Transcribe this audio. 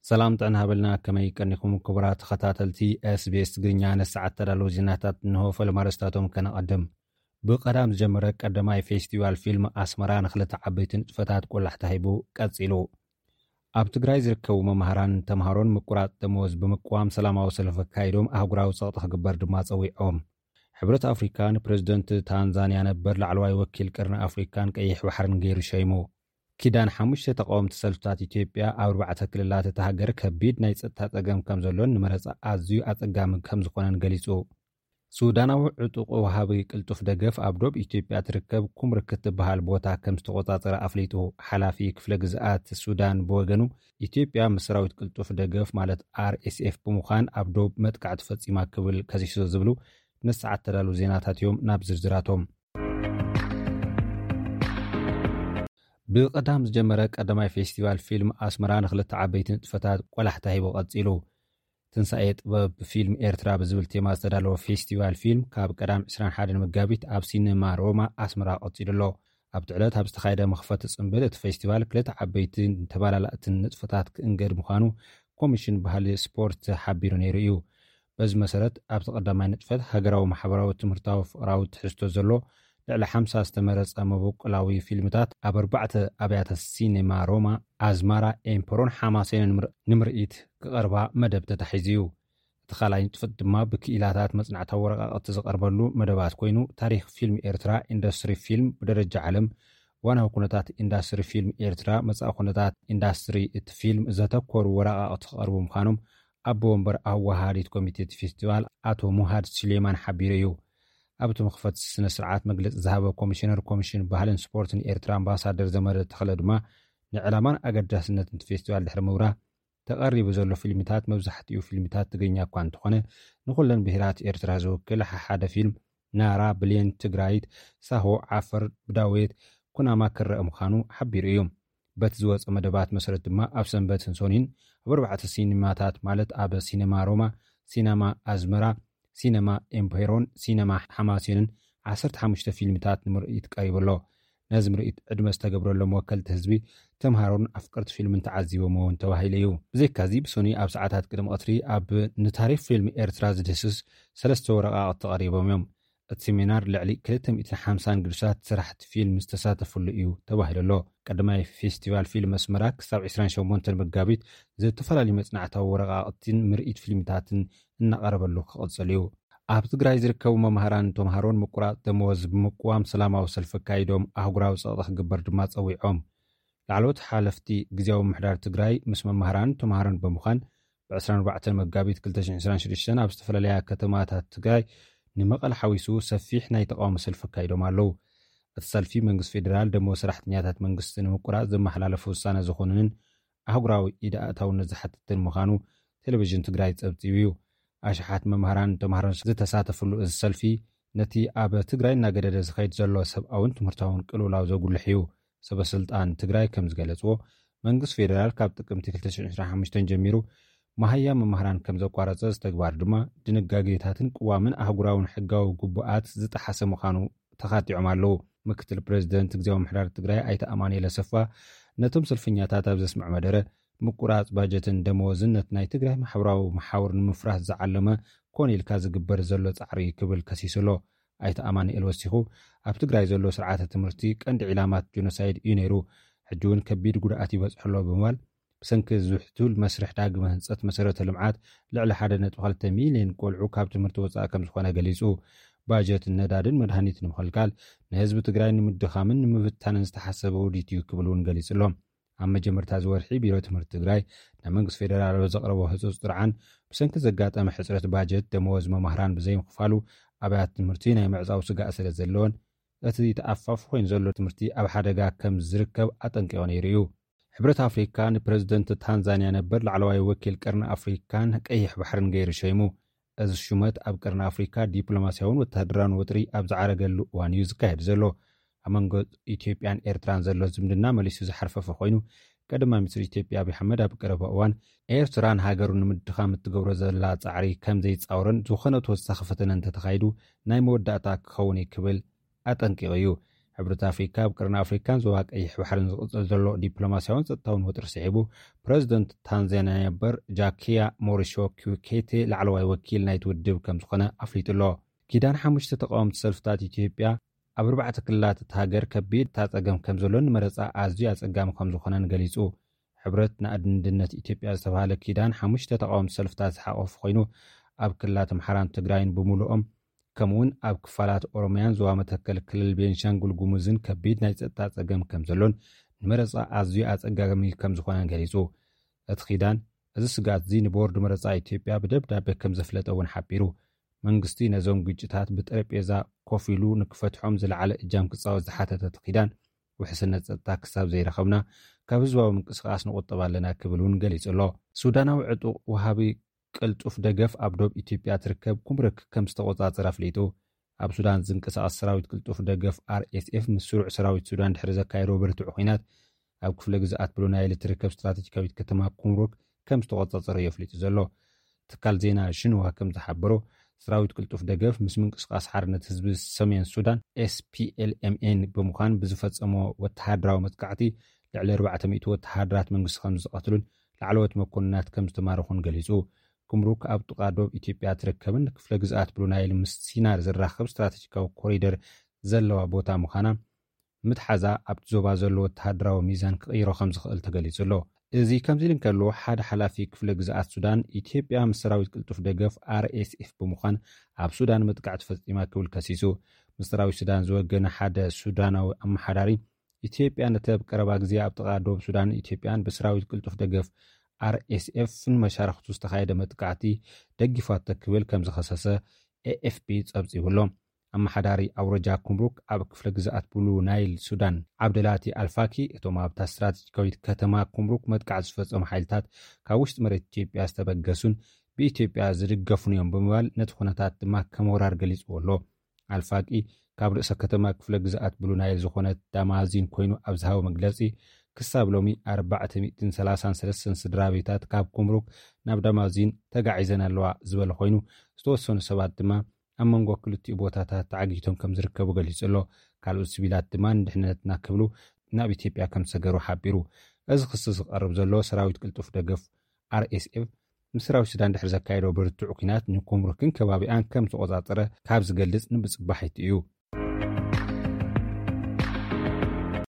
ሰላም ጥዕና ሃበልና፣ ከመይ ቀኒኹም ክቡራት ተኸታተልቲ SBS ትግርኛ? ነሰዓት ተዳለዉ ዜናታት እንሆ። ፈለማ ኣርእስታቶም ከነቐድም። ብቐዳም ዝጀመረ ቀዳማይ ፌስቲቫል ፊልም ኣስመራ ንኽልተ ዓበይቲ ንጥፈታት ቆላሕታ ሂቡ ቀጺሉ። ኣብ ትግራይ ዝርከቡ መምሃራን ተምሃሮን ምቁራጽ ደመወዝ ብምቅዋም ሰላማዊ ሰልፊ ኣካይዶም ኣህጉራዊ ጸቕጢ ክግበር ድማ ጸዊዖም። ሕብረት ኣፍሪካ ንፕረዚደንት ታንዛንያ ነበር ላዕለዋይ ወኪል ቀርኒ ኣፍሪካን ቀይሕ ባሕርን ገይሩ ሸይሙ። ኪዳን ሓሙሽተ ተቃወምቲ ሰልፍታት ኢትዮጵያ ኣብ ኣርባዕተ ክልላት እታ ሃገር ከቢድ ናይ ጸጥታ ጸገም ከም ዘሎን ንመረጻ ኣዝዩ ኣጸጋሚ ከም ዝኾነን ገሊጹ። ሱዳናዊ ዕጡቕ ወሃቢ ቅልጡፍ ደገፍ ኣብ ዶብ ኢትዮጵያ ትርከብ ኩምርክ እትበሃል ቦታ ከም ዝተቆጻጸረ ኣፍሊጡ። ሓላፊ ክፍለ ግዝኣት ሱዳን ብወገኑ፣ ኢትዮጵያ ምስ ሰራዊት ቅልጡፍ ደገፍ ማለት ኣር ኤስ ኤፍ ብምዃን ኣብ ዶብ መጥቃዕቲ ፈጺማ ክብል ከሲሱ ዝብሉ ነሰዓት ተዳሉ ዜናታት እዮም። ናብ ዝርዝራቶም። ብቐዳም ዝጀመረ ቀዳማይ ፌስቲቫል ፊልም ኣስመራ ንኽልተ ዓበይቲ ንጥፈታት ቆላሕታ ሂቡ ቀጺሉ። ትንሳኤ ጥበብ ፊልም ኤርትራ ብዝብል ቴማ ዝተዳለወ ፌስቲቫል ፊልም ካብ ቀዳም ዕስራን ሓደን መጋቢት ኣብ ሲነማ ሮማ ኣስመራ ቀጺሉ ኣሎ። ኣብቲ ዕለት ኣብ ዝተኻየደ መኽፈቲ ጽምብል፣ እቲ ፌስቲቫል ክልተ ዓበይትን ተመላላእትን ንጥፈታት ክእንገድ ምዃኑ ኮሚሽን ባህሊ ስፖርት ሓቢሩ ነይሩ እዩ። በዚ መሰረት፣ ኣብቲ ቀዳማይ ንጥፈት ሃገራዊ፣ ማሕበራዊ፣ ትምህርታዊ፣ ፍቕራዊ ትሕዝቶ ዘሎ ልዕሊ ሓምሳ ዝተመረጸ መበቆላዊ ፊልምታት ኣብ ኣርባዕተ ኣብያተ ሲኔማ ሮማ፣ ኣዝማራ፣ ኤምፖሮን ሓማሴንን ንምር-፣ ንምርኢት ክቐርባ መደብ ተታሒዙ እዩ። እቲ ካልኣይ ንጥፈት ድማ ብክኢላታት መጽናዕታዊ ወረቓቕቲ ዝቐርበሉ መደባት ኮይኑ፣ ታሪኽ ፊልም ኤርትራ፣ ኢንዱስትሪ ፊልም ብደረጃ ዓለም፣ እዋናዊ ኩነታት ኢንዱስትሪ ፊልም ኤርትራ፣ መጻኢ ኩነታት ኢንዱስትሪ እቲ ፊልም ዘተኮሩ ወረቓቕቲ ክቐርቡ ምዃኖም ኣቦ ወንበር ኣወሃሃዲት ኮሚቴ እቲ ፌስቲቫል ኣቶ ሙሃድ ሱሌማን ሓቢሩ እዩ። ኣብቲ መኽፈቲ ስነ ስርዓት መግለጺ ዝሃበ ኮሚሽነር ኮሚሽን ባህልን ስፖርትን ኤርትራ ኣምባሳደር ዘመደ ተኽለ ድማ፣ ንዕላማን ኣገዳስነትን እቲ ፌስቲቫል ድሕሪ ምብራህ፣ ተቐሪቡ ዘሎ ፊልምታት መብዛሕትኡ ፊልምታት ትግርኛ እኳ እንተኾነ፣ ንኹለን ብሄራት ኤርትራ ዝውክል ሓሓደ ፊልም፣ ናራ፣ ብሌን፣ ትግራይት፣ ሳሆ፣ ዓፈር፣ ብዳዌት፣ ኩናማ ክረአ ምዃኑ ሓቢሩ እዩ። በቲ ዝወጸ መደባት መሰረት ድማ፣ ኣብ ሰንበትን ሶኒን ኣብ ኣርባዕተ ሲኒማታት፣ ማለት ኣብ ሲነማ ሮማ፣ ሲነማ ኣዝመራ፣ ሲነማ ኤምፔሮን ሲነማ ሓማሴንን ዓሰርተ ሓሙሽተ ፊልምታት ንምርኢት ቀሪቡ ኣሎ። ነዚ ምርኢት ዕድመ ዝተገብረሎም ወከልቲ ህዝቢ፣ ተምሃሮን ኣፍቀርቲ ፊልምን ተዓዚቦም እውን ተባሂሉ እዩ። ብዘይካዚ፣ ብሶኒ ኣብ ሰዓታት ቅድሚ ቀትሪ ኣብ ንታሪኽ ፊልም ኤርትራ ዝድህስስ ሰለስተ ወረቓቕቲ ተቐሪቦም እዮም። እቲ ሴሚናር ልዕሊ ክልተ ሚእትን ሓምሳን ግዱሳት ሰራሕቲ ፊልም ዝተሳተፍሉ እዩ ተባሂሉ ኣሎ። ቀዳማይ ፌስቲቫል ፊልም ኣስመራ ክሳብ ዕስራን ሸሞንተን መጋቢት ዝተፈላለዩ መጽናዕታዊ ወረቓቕቲን ምርኢት ፊልምታትን እናቐረበሉ ክቕጽል እዩ። ኣብ ትግራይ ዝርከቡ መምሃራን ተምሃሮን ምቁራጽ ደመወዝ ብምቅዋም ሰላማዊ ሰልፊ ኣካይዶም ኣህጉራዊ ጸቕጢ ክግበር ድማ ጸዊዖም። ላዕለዎት ሓለፍቲ ግዝያዊ ምምሕዳር ትግራይ ምስ መምሃራን ተምሃሮን ብምዃን፣ ብ ዕስራን ኣርባዕተን መጋቢት ክልተ ሽሕን ዕስራን ሽዱሽተን ኣብ ዝተፈላለያ ከተማታት ትግራይ፣ ንመቐለ ሓዊሱ ሰፊሕ ናይ ተቃውሞ ሰልፊ ኣካይዶም ኣለዉ። እቲ ሰልፊ፣ መንግስቲ ፌዴራል ደመወዝ ሰራሕተኛታት መንግስቲ ንምቁራጽ ዘመሓላለፎ ውሳነ ዝኾነንን ኣህጉራዊ ኢድ ኣእታውነት ዝሓትትን ምዃኑ ቴሌቪዥን ትግራይ ጸብጺቡ እዩ። ኣሽሓት መምሃራን ተምሃሮን ዝተሳተፍሉ እዚ ሰልፊ፣ ነቲ ኣብ ትግራይ እናገደደ ዝኸይድ ዘሎ ሰብኣውን ትምህርታውን ቅልውላው ዘጉልሕ እዩ። ሰበ ስልጣን ትግራይ ከም ዝገለጽዎ፣ መንግስቲ ፌዴራል ካብ ጥቅምቲ ክልተ ሽሕን ዕስራን ሓሙሽተን ጀሚሩ፣ መሃያ መምሃራን ከም ዘቋረጸ፣ እዚ ተግባር ድማ ድንጋጌታትን ቅዋምን ኣህጉራውን ሕጋዊ ግቡኣት ዝጠሓሰ ምዃኑ ተኻቲዖም ኣለዉ። ምክትል ፕሬዚደንት ግዝያዊ ምምሕዳር ትግራይ ኣይተ ኣማኑኤል ኣሰፋ፣ ነቶም ሰልፈኛታት ኣብ ዘስምዖ መደረ፣ ምቁራጽ ባጀትን ደመወዝን ነቲ ናይ ትግራይ ማሕበራዊ መሓውር ንምፍራስ ዝዓለመ ኮነ ኢልካ ዝግበር ዘሎ ጻዕሪ ክብል ከሲሱ ኣሎ። ኣይተ ኣማኑኤል ወሲኹ፣ ኣብ ትግራይ ዘሎ ስርዓተ ትምህርቲ ቀንዲ ዒላማት ጆኖሳይድ እዩ ነይሩ፣ ሕጂ እውን ከቢድ ጉድኣት ይበጽሖ ኣሎ ብምባል፣ ብሰንኪ ዝሕቱል መስርሕ ዳግመ ህንጸት መሰረተ ልምዓት፣ ልዕሊ ሓደ ነጥቢ ክልተ ሚልዮን ቆልዑ ካብ ትምህርቲ ወጻኢ ከም ዝኾነ ገሊጹ። ባጀት ነዳድን መድሃኒት ንምኽልካል፣ ንህዝቢ ትግራይ ንምድኻምን ንምብታንን ዝተሓሰበ ውዲት እዩ ክብል እውን ገሊጹ ኣሎ። ኣብ መጀመርታ እዚ ወርሒ፣ ቢሮ ትምህርቲ ትግራይ ንመንግስቲ ፌዴራል ኣብ ዘቕረቦ ህጹጽ ጥርዓን፣ ብሰንኪ ዘጋጠመ ሕጽረት ባጀት፣ ደመወዝ መማህራን ብዘይምኽፋሉ፣ ኣብያተ ትምህርቲ ናይ ምዕጻው ስጋእ ስለ ዘለወን፣ እቲ ተኣፋፊ ኮይኑ ዘሎ ትምህርቲ ኣብ ሓደጋ ከም ዝርከብ ኣጠንቂቑ ነይሩ እዩ። ሕብረት ኣፍሪካ ንፕረዚደንት ታንዛንያ ነበር ላዕለዋይ ወኪል ቀርኒ ኣፍሪካን ቀይሕ ባሕርን ገይሩ ሸይሙ። እዚ ሹመት ኣብ ቀርኒ ኣፍሪካ ዲፕሎማስያውን ወተሃደራውን ወጥሪ ኣብ ዝዓረገሉ እዋን እዩ ዝካየድ ዘሎ። ኣብ መንጎ ኢትዮጵያን ኤርትራን ዘሎ ዝምድና መሊሱ ዝሓርፈፈ ኮይኑ፣ ቀዳማይ ሚኒስትር ኢትዮጵያ ኣብይ ኣሕመድ ኣብ ቀረባ እዋን፣ ኤርትራ ንሃገሩ ንምድኻም እትገብሮ ዘላ ጻዕሪ ከም ዘይጻወርን፣ ዝኾነ ተወሳኺ ፈተነ እንተተኻይዱ ናይ መወዳእታ ክኸውን እዩ ክብል ኣጠንቂቑ እዩ። ሕብረት ኣፍሪካ ኣብ ቅርኒ ኣፍሪካን ዞባ ቀይሕ ባሕርን ዝቕፅል ዘሎ ዲፕሎማሲያውን ጸጥታውን ወጥሪ ስዒቡ፣ ፕረዚደንት ታንዛንያ ነበር ጃኪያ ሞሪሾ ኪኬቴ ላዕለዋይ ወኪል ናይቲ ውድብ ከም ዝኾነ ኣፍሊጡ ኣሎ። ኪዳን ሓሙሽተ ተቃወምቲ ሰልፍታት ኢትዮጵያ ኣብ ኣርባዕተ ክልላት እታ ሃገር ከቢድ እታ ጸገም ከም ዘሎን ንመረጻ ኣዝዩ ኣጸጋሚ ከም ዝኾነን ገሊጹ። ሕብረት ንኣንድነት ኢትዮጵያ ዝተባህለ ኪዳን ሓሙሽተ ተቃወምቲ ሰልፍታት ዝሓቆፈ ኮይኑ፣ ኣብ ክልላት ኣምሓራን ትግራይን ብምሉኦም፣ ከምኡውን ኣብ ክፋላት ኦሮሚያን ዞባ መተከል ክልል ቤንሻንጉል ጉሙዝን ከቢድ ናይ ጸጥታ ጸገም ከም ዘሎን ንመረጻ ኣዝዩ ኣጸጋሚ ከም ዝኾነን ገሊጹ። እቲ ኪዳን እዚ ስግኣት እዚ ንቦርድ መረጻ ኢትዮጵያ ብደብዳቤ ከም ዘፍለጠ እውን ሓቢሩ። መንግስቲ ነዞም ግጭታት ብጠረጴዛ ኮፍ ኢሉ ንክፈትሖም ዝለዓለ እጃም ክጻወት ዝሓተተ እቲ ኪዳን፣ ውሕስነት ጸጥታ ክሳብ ዘይረኸብና ካብ ህዝባዊ ምንቅስቃስ ንቑጠብ ኣለና ክብል እውን ገሊጹ ኣሎ። ሱዳናዊ ዕጡቕ ወሃቢ ቅልጡፍ ደገፍ ኣብ ዶብ ኢትዮጵያ ትርከብ ኩምርክ ከም ዝተቆጻጸረ ኣፍሊጡ። ኣብ ሱዳን ዝንቀሳቐስ ሰራዊት ቅልጡፍ ደገፍ ኣርኤስኤፍ ምስ ስሩዕ ሰራዊት ሱዳን ድሕሪ ዘካየዶ ብርቱዕ ኲናት ኣብ ክፍለ ግዝኣት ብሉ ናይል እትርከብ ስትራቴጂካዊት ከተማ ኩምሩክ ከም ዝተቆጻጸረ እዩ ኣፍሊጡ ዘሎ። ትካል ዜና ሽንዋ ከም ዝሓበሮ፣ ሰራዊት ቅልጡፍ ደገፍ ምስ ምንቅስቃስ ሓርነት ህዝቢ ሰሜን ሱዳን ኤስፒኤልኤምኤን ብምዃን ብዝፈጸሞ ወተሃደራዊ መጥቃዕቲ ልዕሊ ኣርባዕተ ሚእቲ ወተሃደራት መንግስቲ ከም ዝቐትሉን ላዕለዎት መኮንናት ከም ዝተማረኹን ገሊጹ። ኩምሩክ ኣብ ጥቓ ዶብ ኢትዮጵያ ትርከብን ክፍለ ግዝኣት ብሉ ናይል ምስ ሲናር ዝራኸብ ስትራቴጂካዊ ኮሪደር ዘለዋ ቦታ ምዃና ምትሓዛ ኣብቲ ዞባ ዘሎ ወተሃደራዊ ሚዛን ክቕይሮ ከም ዝኽእል ተገሊጹ ኣሎ። እዚ ከምዚ ኢሉ እንከሎ፣ ሓደ ሓላፊ ክፍለ ግዝኣት ሱዳን ኢትዮጵያ ምስ ሰራዊት ቅልጡፍ ደገፍ ኣርኤስኤፍ ብምዃን ኣብ ሱዳን መጥቃዕቲ ፈጺማ ክብል ከሲሱ። ምስ ሰራዊት ሱዳን ዝወገነ ሓደ ሱዳናዊ ኣመሓዳሪ፣ ኢትዮጵያ ነቲ ኣብ ቀረባ ግዜ ኣብ ጥቓ ዶብ ሱዳን ኢትዮጵያን ብሰራዊት ቅልጡፍ ደገፍ ኣርኤስኤፍን መሻርኽቱ ዝተኻየደ መጥቃዕቲ ደጊፋቶ ክብል ከም ዝኸሰሰ ኤኤፍፒ ጸብጺቡ ኣሎ። ኣመሓዳሪ ኣውረጃ ኩምሩክ ኣብ ክፍለ ግዝኣት ብሉ ናይል ሱዳን ዓብደላቲ ኣልፋኪ፣ እቶም ኣብታ ስትራቴጂካዊት ከተማ ኩምሩክ መጥቃዕቲ ዝፈጸሙ ሓይልታት ካብ ውሽጢ መሬት ኢትዮጵያ ዝተበገሱን ብኢትዮጵያ ዝድገፉን እዮም ብምባል ነቲ ኩነታት ድማ ከም ወራር ገሊጽዎ ኣሎ። ኣልፋቂ ካብ ርእሰ ከተማ ክፍለ ግዝኣት ብሉ ናይል ዝኾነት ዳማዚን ኮይኑ ኣብ ዝሃቦ መግለጺ፣ ክሳብ ሎሚ ኣርባዕተ ሚእትን ሰላሳን ሰለስተን ስድራ ቤታት ካብ ኩምሩክ ናብ ዳማዚን ተጋዒዘን ኣለዋ ዝበለ ኮይኑ፣ ዝተወሰኑ ሰባት ድማ ኣብ መንጎ ክልቲኡ ቦታታት ተዓጊቶም ከም ዝርከቡ ገሊጹ ኣሎ። ካልኦት ሲቪላት ድማ ንድሕነትና ክብሉ ናብ ኢትዮጵያ ከም ዝሰገሩ ሓቢሩ። እዚ ክሲ ዝቐርብ ዘሎ ሰራዊት ቅልጡፍ ደገፍ ኣርኤስኤፍ ምስ ሰራዊት ሱዳን ድሕሪ ዘካየዶ ብርቱዕ ኲናት ንኩምሩክን ከባቢኣን ከም ዝተቆጻጸረ ካብ ዝገልጽ ንምጽባሕ እዩ።